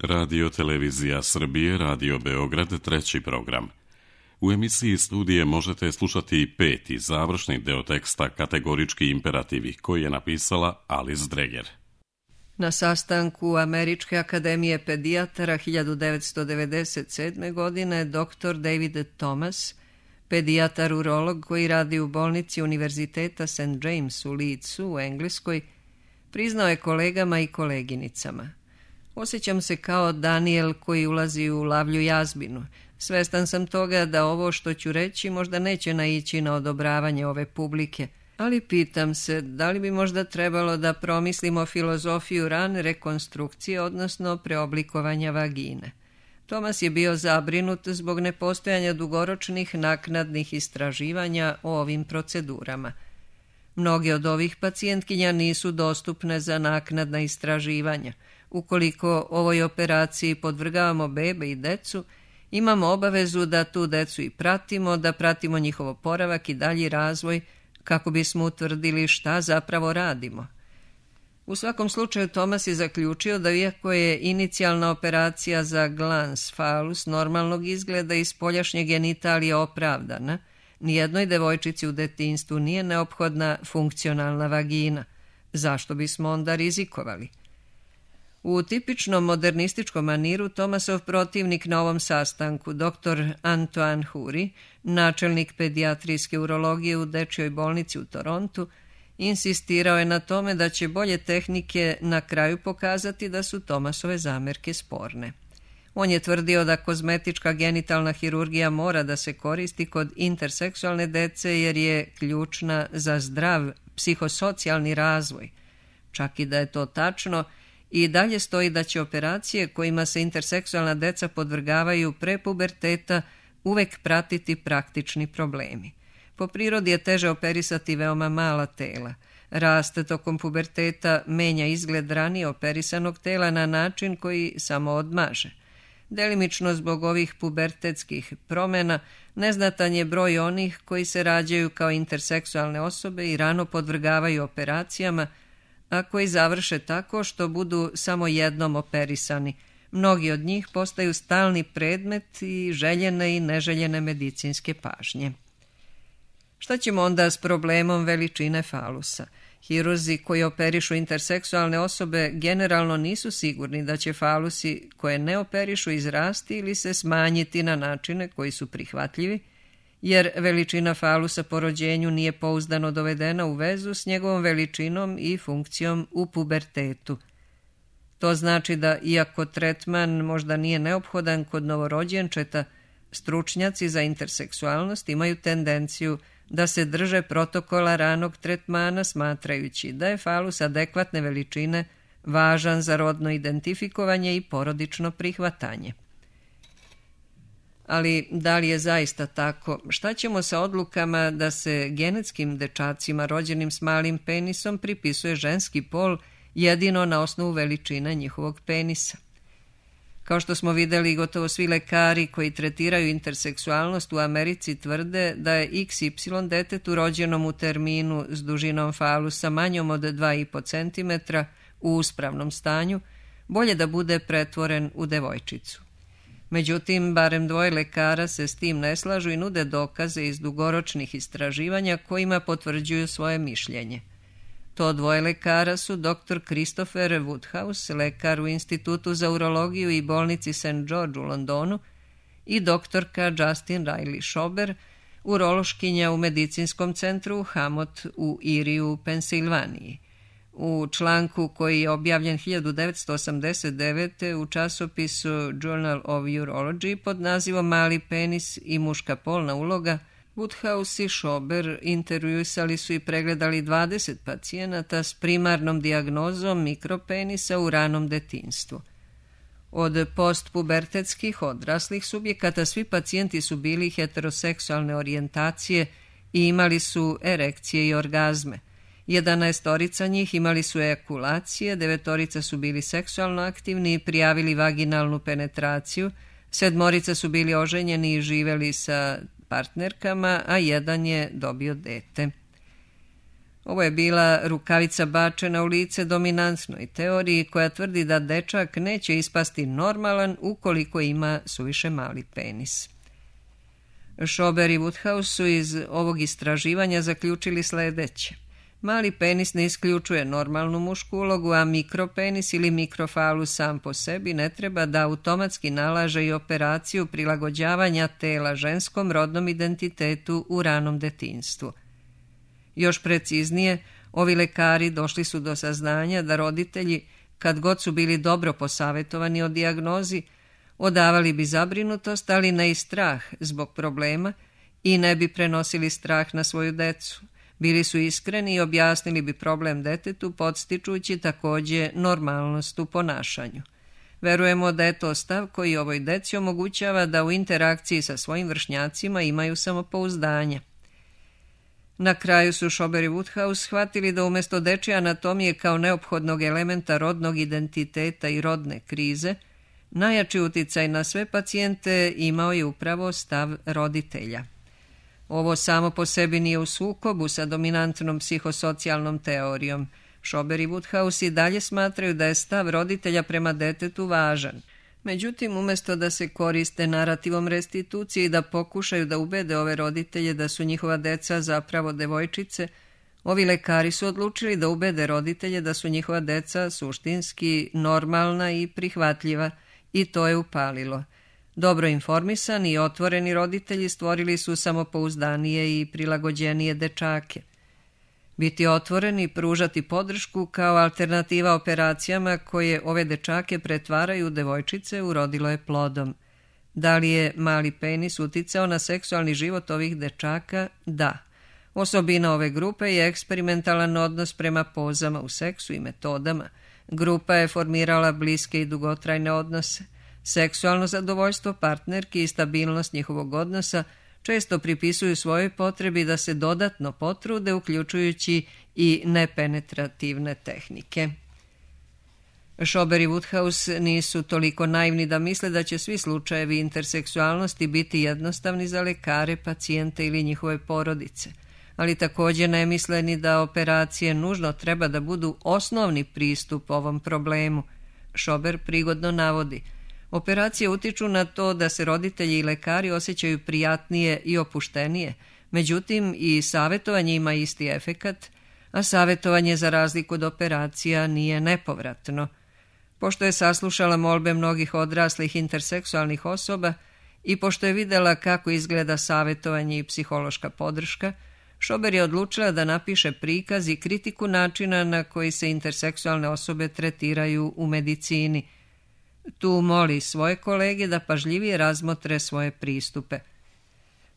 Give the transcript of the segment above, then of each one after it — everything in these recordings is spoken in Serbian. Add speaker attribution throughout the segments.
Speaker 1: Radio Televizija Srbije, Radio Beograd, treći program. U emisiji Studije možete slušati peti završni deo teksta Kategorički imperativi, koji je napisala Alice Dreger.
Speaker 2: Na sastanku Američke akademije pedijatara 1997. godine dr. David Thomas, pedijatar urolog koji radi u bolnici Univerziteta St. James u Leedsu u Engleskoj, priznao je kolegama i koleginicama: osjećam se kao Daniel koji ulazi u lavlju jazbinu. Svestan sam toga da ovo što ću reći možda neće naići na odobravanje ove publike, ali pitam se da li bi možda trebalo da promislimo filozofiju rane rekonstrukcije, odnosno preoblikovanja vagine. Thomas je bio zabrinut zbog nepostojanja dugoročnih naknadnih istraživanja o ovim procedurama. Mnoge od ovih pacijentkinja nisu dostupne za naknadna istraživanja. Ukoliko ovoj operaciji podvrgavamo bebe i decu, imamo obavezu da tu decu i pratimo, da pratimo njihov oporavak i dalji razvoj kako bismo utvrdili šta zapravo radimo. U svakom slučaju Thomas je zaključio da iako je inicijalna operacija za glans falus normalnog izgleda i spoljašnje genitalije opravdana, nijednoj devojčici u detinjstvu nije neophodna funkcionalna vagina. Zašto bismo onda rizikovali? U tipičnom modernističkom maniru Thomasov protivnik na ovom sastanku, dr. Antoine Huri, načelnik pedijatrijske urologije u dečjoj bolnici u Torontu, insistirao je na tome da će bolje tehnike na kraju pokazati da su Thomasove zamerke sporne. On je tvrdio da kozmetička genitalna hirurgija mora da se koristi kod interseksualne dece jer je ključna za zdrav psihosocijalni razvoj. Čak i da je to tačno, i dalje stoji da će operacije kojima se interseksualna deca podvrgavaju pre puberteta uvek pratiti praktični problemi. Po prirodi je teže operisati veoma mala tela. Rast tokom puberteta menja izgled ranije operisanog tela na način koji samo odmaže. Delimično zbog ovih pubertetskih promena neznatan je broj onih koji se rađaju kao interseksualne osobe i rano podvrgavaju operacijama, a koji završe tako što budu samo jednom operisani. Mnogi od njih postaju stalni predmet i željene i neželjene medicinske pažnje. Šta ćemo onda s problemom veličine falusa? Hirurzi koji operišu interseksualne osobe generalno nisu sigurni da će falusi koje ne operišu izrasti ili se smanjiti na načine koji su prihvatljivi, jer veličina falusa po rođenju nije pouzdano dovedena u vezu s njegovom veličinom i funkcijom u pubertetu. To znači da, iako tretman možda nije neophodan kod novorođenčeta, stručnjaci za interseksualnost imaju tendenciju da se drže protokola ranog tretmana, smatrajući da je falus adekvatne veličine važan za rodno identifikovanje i porodično prihvatanje. Ali da li je zaista tako? Šta ćemo sa odlukama da se genetskim dečacima rođenim s malim penisom pripisuje ženski pol jedino na osnovu veličine njihovog penisa? Kao što smo videli, gotovo svi lekari koji tretiraju interseksualnost u Americi tvrde da je XY detetu rođenom u terminu s dužinom falusa manjom od 2,5 cm u uspravnom stanju bolje da bude pretvoren u devojčicu. Međutim, barem dvoje lekara se s tim ne slažu i nude dokaze iz dugoročnih istraživanja kojima potvrđuju svoje mišljenje. To dvoje lekara su dr. Christopher Woodhouse, lekar u Institutu za urologiju i bolnici St. George u Londonu, i doktorka Justin Riley Schober, urološkinja u medicinskom centru Hamot u Erieju u Pensilvaniji. U članku koji je objavljen 1989. u časopisu Journal of Urology pod nazivom Mali penis i muška polna uloga, Woodhouse i Schober intervjuisali su i pregledali 20 pacijenata s primarnom dijagnozom mikropenisa u ranom detinjstvu. Od postpubertetskih odraslih subjekata svi pacijenti su bili heteroseksualne orijentacije i imali su erekcije i orgazme. 11 njih imali su ejakulacije, 9 su bili seksualno aktivni i prijavili vaginalnu penetraciju, 7 su bili oženjeni i živeli sa partnerkama, a 1 je dobio dete. Ovo je bila rukavica bačena u lice dominantnoj teoriji koja tvrdi da dečak neće ispasti normalan ukoliko ima suviše mali penis. Schober i Woodhouse su iz ovog istraživanja zaključili sledeće. Mali penis ne isključuje normalnu mušku ulogu, a mikropenis ili mikrofalus sam po sebi ne treba da automatski nalaže i operaciju prilagođavanja tela ženskom rodnom identitetu u ranom detinjstvu. Još preciznije, ovi lekari došli su do saznanja da roditelji, kad god su bili dobro posavetovani o dijagnozi, odavali bi zabrinutost, ali ne i strah zbog problema i ne bi prenosili strah na svoju decu. Bili su iskreni i objasnili bi problem detetu, podstičući također normalnost u ponašanju. Verujemo da je to stav koji ovoj deci omogućava da u interakciji sa svojim vršnjacima imaju samopouzdanje. Na kraju su Schober i Woodhouse shvatili da umjesto dečje anatomije kao neophodnog elementa rodnog identiteta i rodne krize, najjači uticaj na sve pacijente imao je upravo stav roditelja. Ovo samo po sebi nije u sukobu sa dominantnom psihosocijalnom teorijom. Schober i Woodhouse i dalje smatraju da je stav roditelja prema detetu važan. Međutim, umjesto da se koriste narativom restitucije i da pokušaju da ubede ove roditelje da su njihova deca zapravo devojčice, ovi lekari su odlučili da ubede roditelje da su njihova deca suštinski normalna i prihvatljiva, i to je upalilo. Dobro informisani i otvoreni roditelji stvorili su samopouzdanije i prilagođenije dečake. Biti otvoreni i pružati podršku kao alternativa operacijama koje ove dečake pretvaraju u devojčice urodilo je plodom. Da li je mali penis uticao na seksualni život ovih dečaka? Da. Osobina ove grupe je eksperimentalan odnos prema pozama u seksu i metodama. Grupa je formirala bliske i dugotrajne odnose. Seksualno zadovoljstvo partnerki i stabilnost njihovog odnosa često pripisuju svojoj potrebi da se dodatno potrude, uključujući i nepenetrativne tehnike. Schober i Woodhouse nisu toliko naivni da misle da će svi slučajevi interseksualnosti biti jednostavni za lekare, pacijente ili njihove porodice, ali također ne misle ni da operacije nužno treba da budu osnovni pristup ovom problemu. Schober prigodno navodi: operacije utiču na to da se roditelji i lekari osjećaju prijatnije i opuštenije, međutim i savjetovanje ima isti efekat, a savjetovanje za razliku od operacija nije nepovratno. Pošto je saslušala molbe mnogih odraslih interseksualnih osoba i pošto je vidjela kako izgleda savjetovanje i psihološka podrška, Schober je odlučila da napiše prikaz i kritiku načina na koji se interseksualne osobe tretiraju u medicini. Tu moli svoje kolege da pažljivije razmotre svoje pristupe.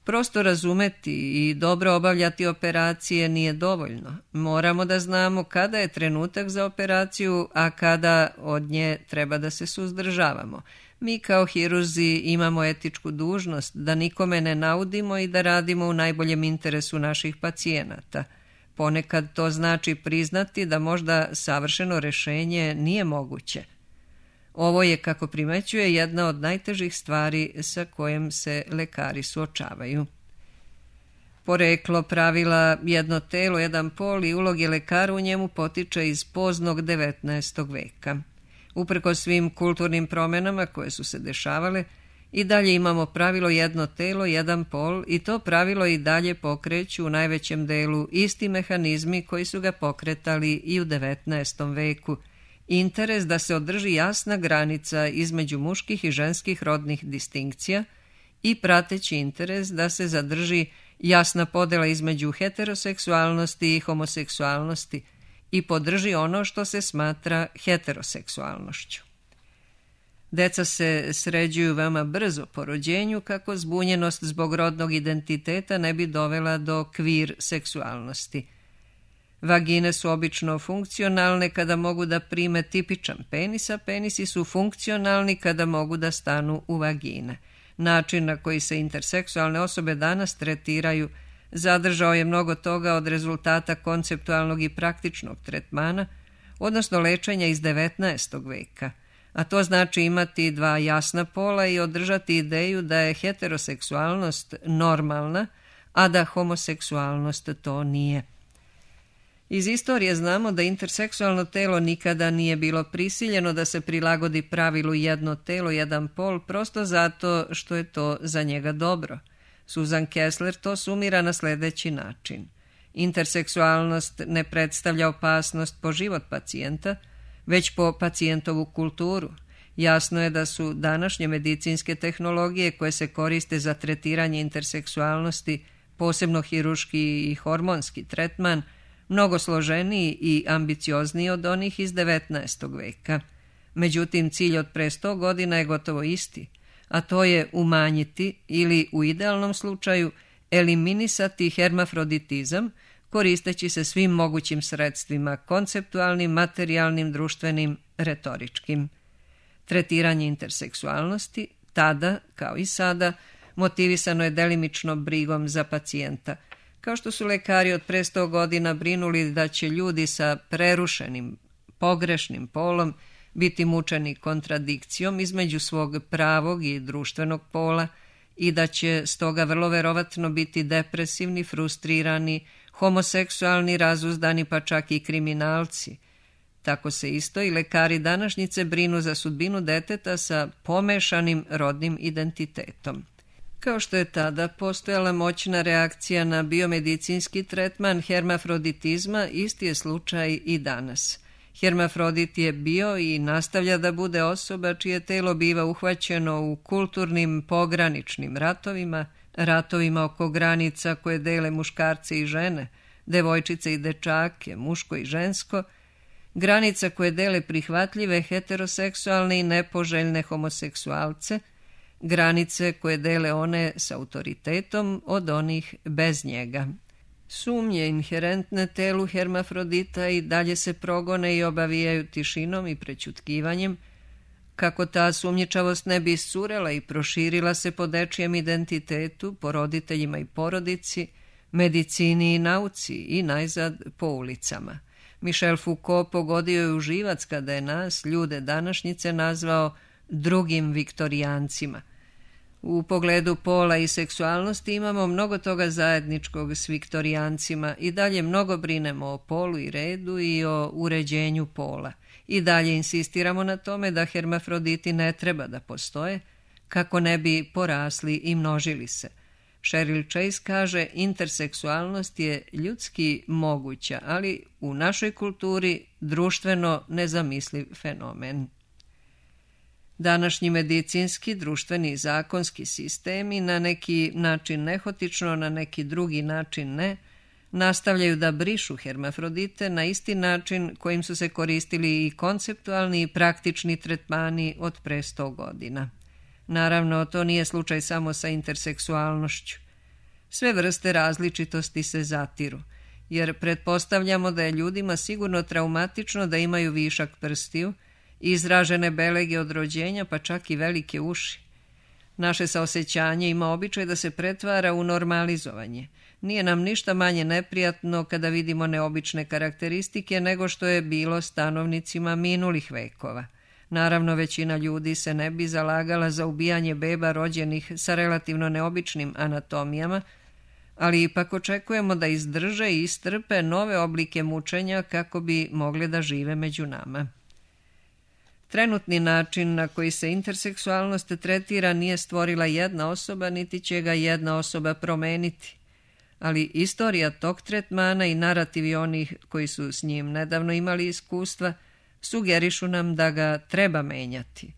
Speaker 2: Prosto razumeti i dobro obavljati operacije nije dovoljno. Moramo da znamo kada je trenutak za operaciju, a kada od nje treba da se suzdržavamo. Mi kao hirurzi imamo etičku dužnost da nikome ne naudimo i da radimo u najboljem interesu naših pacijenata. Ponekad to znači priznati da možda savršeno rešenje nije moguće. Ovo je, kako primećuje, jedna od najtežih stvari sa kojim se lekari suočavaju. Poreklo pravila jedno telo, jedan pol i uloge lekara u njemu potiče iz poznog 19. veka. Uprko svim kulturnim promjenama koje su se dešavale, i dalje imamo pravilo jedno telo, jedan pol i to pravilo i dalje pokreću u najvećem delu isti mehanizmi koji su ga pokretali i u 19. veku. Interes da se održi jasna granica između muških i ženskih rodnih distinkcija i prateći interes da se zadrži jasna podela između heteroseksualnosti i homoseksualnosti i podrži ono što se smatra heteroseksualnošću. Deca se sređuju veoma brzo po rođenju kako zbunjenost zbog rodnog identiteta ne bi dovela do kvir seksualnosti. Vagine su obično funkcionalne kada mogu da prime tipičan penis, a penisi su funkcionalni kada mogu da stanu u vagine. Način na koji se interseksualne osobe danas tretiraju zadržao je mnogo toga od rezultata konceptualnog i praktičnog tretmana, odnosno lečenja iz 19. veka, a to znači imati dva jasna pola i održati ideju da je heteroseksualnost normalna, a da homoseksualnost to nije. Iz istorije znamo da interseksualno telo nikada nije bilo prisiljeno da se prilagodi pravilu jedno telo, jedan pol, prosto zato što je to za njega dobro. Susan Kessler to sumira na sljedeći način. Interseksualnost ne predstavlja opasnost po život pacijenta, već po pacijentovu kulturu. Jasno je da su današnje medicinske tehnologije koje se koriste za tretiranje interseksualnosti, posebno hirurški i hormonski tretman, mnogo složeniji i ambiciozniji od onih iz 19. veka. Međutim, cilj od pre 100 godina je gotovo isti, a to je umanjiti ili u idealnom slučaju eliminisati hermafroditizam koristeći se svim mogućim sredstvima, konceptualnim, materijalnim, društvenim, retoričkim. Tretiranje interseksualnosti, tada, kao i sada, motivisano je delimično brigom za pacijenta, kao što su lekari od pre 100 godina brinuli da će ljudi sa prerušenim, pogrešnim polom biti mučeni kontradikcijom između svog pravog i društvenog pola i da će stoga vrlo verovatno biti depresivni, frustrirani, homoseksualni, razuzdani pa čak i kriminalci. Tako se isto i lekari današnjice brinu za sudbinu deteta sa pomešanim rodnim identitetom. Kao što je tada postojala moćna reakcija na biomedicinski tretman hermafroditizma, isti je slučaj i danas. Hermafrodit je bio i nastavlja da bude osoba čije telo biva uhvaćeno u kulturnim pograničnim ratovima oko granica koje dele muškarce i žene, devojčice i dečake, muško i žensko, granica koje dele prihvatljive heteroseksualne i nepoželjne homoseksualce, granice koje dele one s autoritetom od onih bez njega. Sumnje inherentne telu hermafrodita i dalje se progone i obavijaju tišinom i prećutkivanjem, kako ta sumnjičavost ne bi iscurela i proširila se po dečijem identitetu, po roditeljima i porodici, medicini i nauci i najzad po ulicama. Michel Foucault pogodio je u živac kada je nas, ljude današnjice, nazvao drugim viktorijancima. U pogledu pola i seksualnosti imamo mnogo toga zajedničkog s viktorijancima i dalje mnogo brinemo o polu i redu i o uređenju pola. I dalje insistiramo na tome da hermafroditi ne treba da postoje, kako ne bi porasli i množili se. Cheryl Chase kaže, interseksualnost je ljudski moguća, ali u našoj kulturi društveno nezamisliv fenomen. Današnji medicinski, društveni i zakonski sistemi na neki način nehotično, na neki drugi način ne, nastavljaju da brišu hermafrodite na isti način kojim su se koristili i konceptualni i praktični tretmani od pre 100 godina. Naravno, to nije slučaj samo sa interseksualnošću. Sve vrste različitosti se zatiru, jer pretpostavljamo da je ljudima sigurno traumatično da imaju višak prstiju, izražene belege od rođenja, pa čak i velike uši. Naše saosećanje ima običaj da se pretvara u normalizovanje. Nije nam ništa manje neprijatno kada vidimo neobične karakteristike nego što je bilo stanovnicima minulih vekova. Naravno, većina ljudi se ne bi zalagala za ubijanje beba rođenih sa relativno neobičnim anatomijama, ali ipak očekujemo da izdrže i istrpe nove oblike mučenja kako bi mogli da žive među nama. Trenutni način na koji se interseksualnost tretira nije stvorila jedna osoba, niti će ga jedna osoba promeniti. Ali istorija tog tretmana i narativi onih koji su s njim nedavno imali iskustva sugerišu nam da ga treba menjati.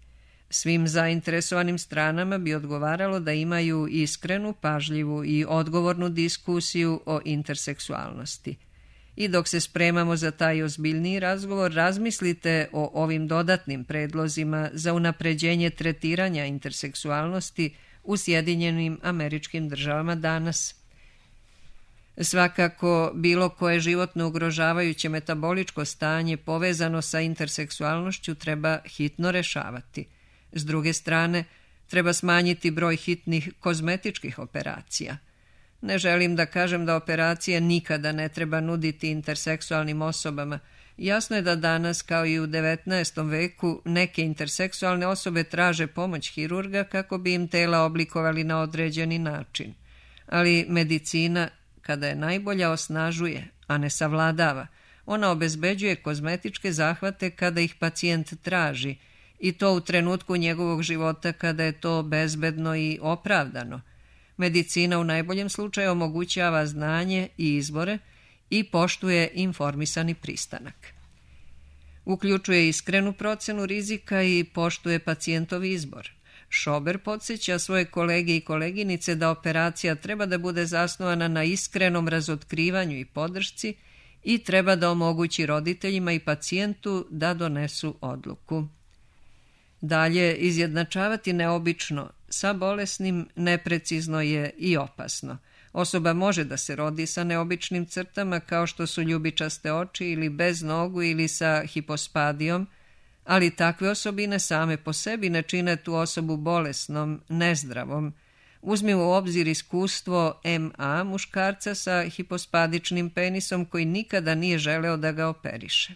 Speaker 2: Svim zainteresovanim stranama bi odgovaralo da imaju iskrenu, pažljivu i odgovornu diskusiju o interseksualnosti. I dok se spremamo za taj ozbiljniji razgovor, razmislite o ovim dodatnim predlozima za unapređenje tretiranja interseksualnosti u Sjedinjenim Američkim Državama danas. Svakako, bilo koje životno ugrožavajuće metaboličko stanje povezano sa interseksualnošću treba hitno rešavati. S druge strane, treba smanjiti broj hitnih kozmetičkih operacija. Ne želim da kažem da operacije nikada ne treba nuditi interseksualnim osobama. Jasno je da danas, kao i u 19. veku, neke interseksualne osobe traže pomoć hirurga kako bi im tela oblikovali na određeni način. Ali medicina kada je najbolja, osnažuje, a ne savladava. Ona obezbeđuje kozmetičke zahvate kada ih pacijent traži, i to u trenutku njegovog života kada je to bezbedno i opravdano. Medicina u najboljem slučaju omogućava znanje i izbore i poštuje informisani pristanak. Uključuje iskrenu procenu rizika i poštuje pacijentov izbor. Schober podsjeća svoje kolege i koleginice da operacija treba da bude zasnovana na iskrenom razotkrivanju i podršci i treba da omogući roditeljima i pacijentu da donesu odluku. Dalje, izjednačavati neobično sa bolesnim neprecizno je i opasno. Osoba može da se rodi sa neobičnim crtama kao što su ljubičaste oči ili bez nogu ili sa hipospadijom, ali takve osobine same po sebi ne čine tu osobu bolesnom, nezdravom. Uzmi u obzir iskustvo M.A. muškarca sa hipospadičnim penisom koji nikada nije želeo da ga operiše.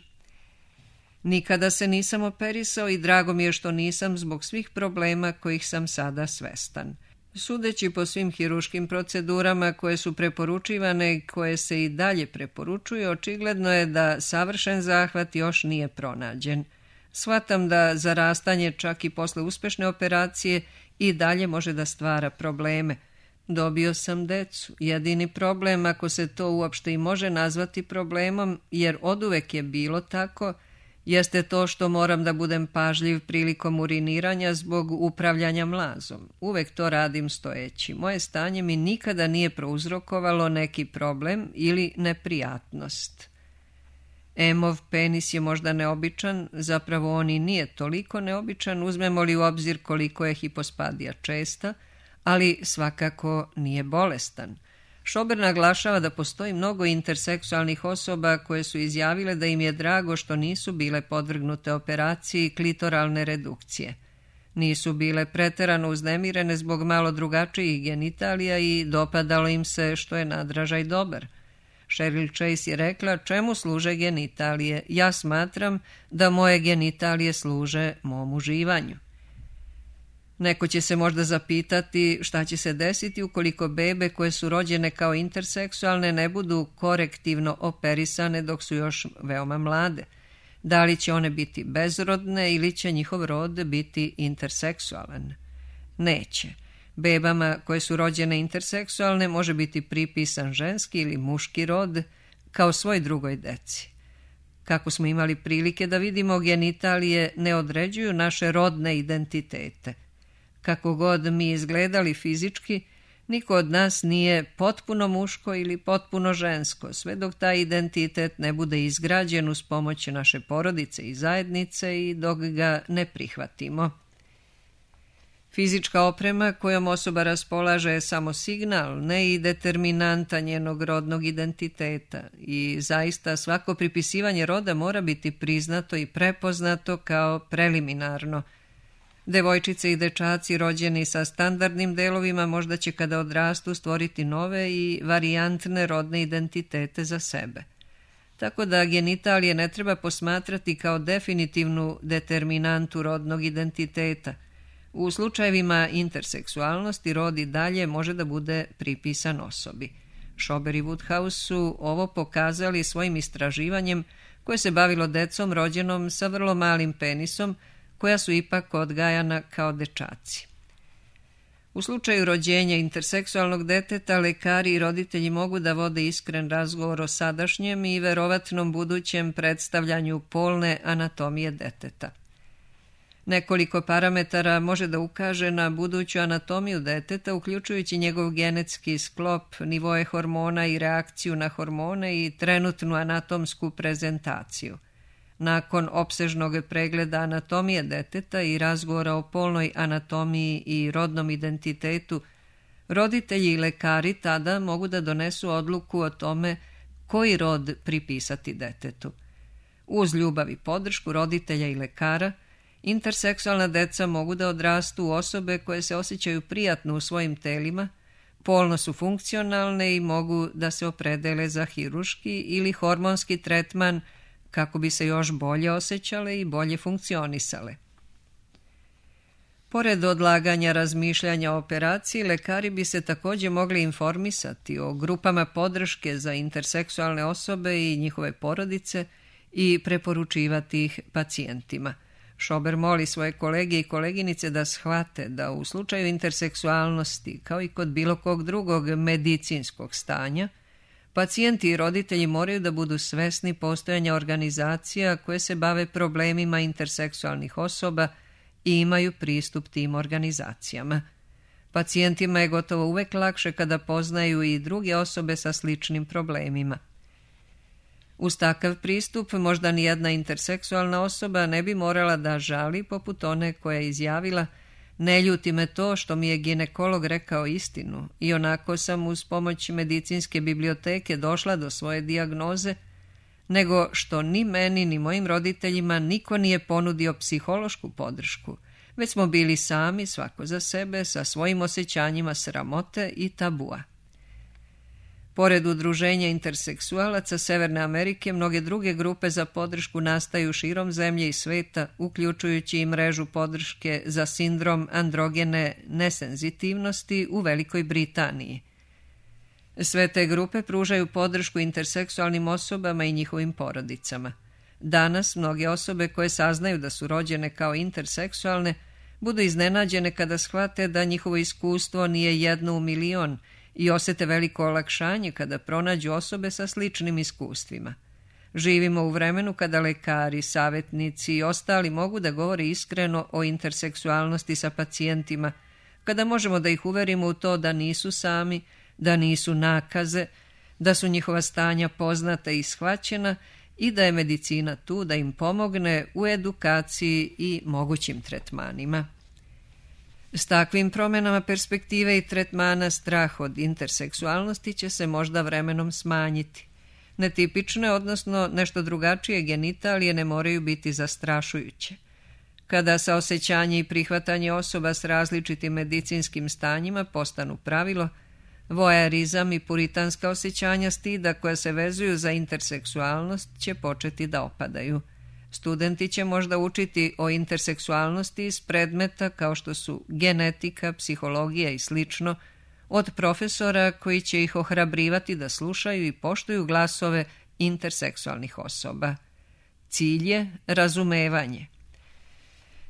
Speaker 2: Nikada se nisam operisao i drago mi je što nisam zbog svih problema kojih sam sada svestan. Sudeći po svim hiruškim procedurama koje su preporučivane i koje se i dalje preporučuju, očigledno je da savršen zahvat još nije pronađen. Shvatam da zarastanje čak i posle uspešne operacije i dalje može da stvara probleme. Dobio sam decu. Jedini problem, ako se to uopšte i može nazvati problemom, jer oduvek je bilo tako, jeste to što moram da budem pažljiv prilikom uriniranja zbog upravljanja mlazom. Uvek to radim stojeći. Moje stanje mi nikada nije prouzrokovalo neki problem ili neprijatnost. M.ov penis je možda neobičan, zapravo on i nije toliko neobičan, uzmemo li u obzir koliko je hipospadija česta, ali svakako nije bolestan. Schober naglašava da postoji mnogo interseksualnih osoba koje su izjavile da im je drago što nisu bile podvrgnute operaciji klitoralne redukcije. Nisu bile preterano uznemirene zbog malo drugačijih genitalija i dopadalo im se što je nadražaj dobar. Cheryl Chase je rekla: čemu služe genitalije? Ja smatram da moje genitalije služe mom uživanju. Neko će se možda zapitati šta će se desiti ukoliko bebe koje su rođene kao interseksualne ne budu korektivno operisane dok su još veoma mlade. Da li će one biti bezrodne ili će njihov rod biti interseksualan? Neće. Bebama koje su rođene interseksualne može biti pripisan ženski ili muški rod kao svoj drugoj deci. Kako smo imali prilike da vidimo, genitalije ne određuju naše rodne identitete. Kako god mi izgledali fizički, niko od nas nije potpuno muško ili potpuno žensko, sve dok taj identitet ne bude izgrađen uz pomoć naše porodice i zajednice i dok ga ne prihvatimo. Fizička oprema kojom osoba raspolaže je samo signal, ne i determinanta njenog rodnog identiteta, i zaista svako pripisivanje roda mora biti priznato i prepoznato kao preliminarno. Devojčice i dečaci rođeni sa standardnim delovima možda će kada odrastu stvoriti nove i varijantne rodne identitete za sebe. Tako da genitalije ne treba posmatrati kao definitivnu determinantu rodnog identiteta. U slučajevima interseksualnosti rod i dalje može da bude pripisan osobi. Schober i Woodhouse su ovo pokazali svojim istraživanjem koje se bavilo decom rođenom sa vrlo malim penisom, koja su ipak odgajana kao dečaci. U slučaju rođenja interseksualnog deteta, lekari i roditelji mogu da vode iskren razgovor o sadašnjem i verovatnom budućem predstavljanju polne anatomije deteta. Nekoliko parametara može da ukaže na buduću anatomiju deteta, uključujući njegov genetski sklop, nivoe hormona i reakciju na hormone i trenutnu anatomsku prezentaciju. Nakon opsežnog pregleda anatomije deteta i razgovora o polnoj anatomiji i rodnom identitetu, roditelji i lekari tada mogu da donesu odluku o tome koji rod pripisati detetu. Uz ljubav i podršku roditelja i lekara, interseksualna deca mogu da odrastu u osobe koje se osjećaju prijatno u svojim telima, polno su funkcionalne i mogu da se opredele za hiruški ili hormonski tretman kako bi se još bolje osjećale i bolje funkcionisale. Pored odlaganja razmišljanja o operaciji, lekari bi se također mogli informisati o grupama podrške za interseksualne osobe i njihove porodice i preporučivati ih pacijentima. Schober moli svoje kolege i koleginice da shvate da u slučaju interseksualnosti, kao i kod bilo kog drugog medicinskog stanja, pacijenti i roditelji moraju da budu svesni postojanja organizacija koje se bave problemima interseksualnih osoba i imaju pristup tim organizacijama. Pacijentima je gotovo uvek lakše kada poznaju i druge osobe sa sličnim problemima. Uz takav pristup možda nijedna interseksualna osoba ne bi morala da žali poput one koja je izjavila: ne ljuti me to što mi je ginekolog rekao istinu i onako sam uz pomoć medicinske biblioteke došla do svoje dijagnoze, nego što ni meni ni mojim roditeljima niko nije ponudio psihološku podršku, već smo bili sami, svako za sebe, sa svojim osjećanjima sramote i tabua. Pored udruženja interseksualaca Severne Amerike, mnoge druge grupe za podršku nastaju širom zemlje i sveta, uključujući i mrežu podrške za sindrom androgene nesenzitivnosti u Velikoj Britaniji. Sve te grupe pružaju podršku interseksualnim osobama i njihovim porodicama. Danas mnoge osobe koje saznaju da su rođene kao interseksualne budu iznenađene kada shvate da njihovo iskustvo nije jedno u milion i osete veliko olakšanje kada pronađu osobe sa sličnim iskustvima. Živimo u vremenu kada lekari, savjetnici i ostali mogu da govore iskreno o interseksualnosti sa pacijentima, kada možemo da ih uverimo u to da nisu sami, da nisu nakaze, da su njihova stanja poznata i shvaćena i da je medicina tu da im pomogne u edukaciji i mogućim tretmanima. S takvim promjenama perspektive i tretmana strah od interseksualnosti će se možda vremenom smanjiti. Netipične, odnosno nešto drugačije genitalije ne moraju biti zastrašujuće. Kada saosećanje i prihvatanje osoba s različitim medicinskim stanjima postanu pravilo, voajerizam i puritanska osjećanja stida koja se vezuju za interseksualnost će početi da opadaju. Studenti će možda učiti o interseksualnosti iz predmeta kao što su genetika, psihologija i slično, od profesora koji će ih ohrabrivati da slušaju i poštuju glasove interseksualnih osoba. Cilj je razumevanje.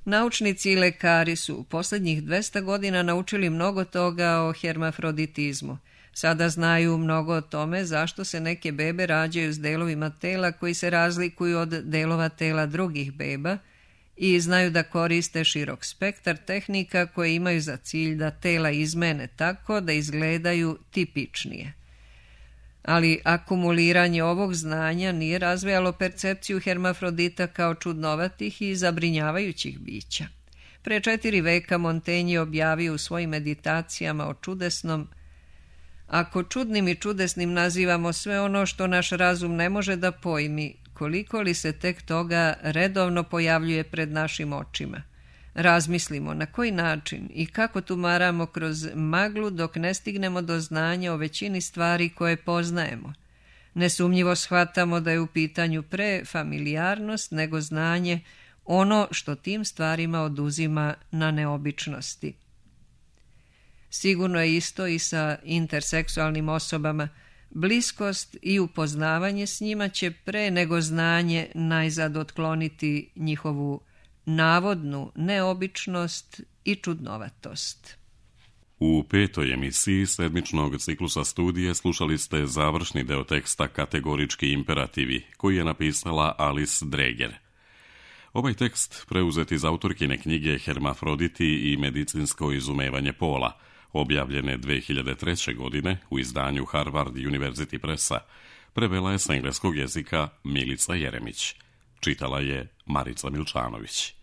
Speaker 2: Naučnici i lekari su u posljednjih 200 godina naučili mnogo toga o hermafroditizmu. Sada znaju mnogo o tome zašto se neke bebe rađaju s delovima tela koji se razlikuju od delova tela drugih beba i znaju da koriste širok spektar tehnika koje imaju za cilj da tela izmene tako da izgledaju tipičnije. Ali akumuliranje ovog znanja nije razvijalo percepciju hermafrodita kao čudnovatih i zabrinjavajućih bića. Pre 4 veka Montaigne je objavio u svojim meditacijama o čudesnom: ako čudnim i čudesnim nazivamo sve ono što naš razum ne može da pojmi, koliko li se tek toga redovno pojavljuje pred našim očima. Razmislimo na koji način i kako tumaramo kroz maglu dok ne stignemo do znanja o većini stvari koje poznajemo. Nesumnjivo shvatamo da je u pitanju pre familijarnost nego znanje, ono što tim stvarima oduzima na neobičnosti. Sigurno je isto i sa interseksualnim osobama. Bliskost i upoznavanje s njima će pre nego znanje najzad otkloniti njihovu navodnu neobičnost i čudnovatost.
Speaker 1: U 5. emisiji sedmičnog ciklusa studije slušali ste završni deo teksta Kategorički imperativi, koji je napisala Alice Dreger. Ovaj tekst preuzet iz autorkine knjige Hermafroditi i medicinsko izumevanje pola, objavljene 2003. godine u izdanju Harvard University Pressa, prevela je s engleskog jezika Milica Jeremić. Čitala je Marica Milčanović.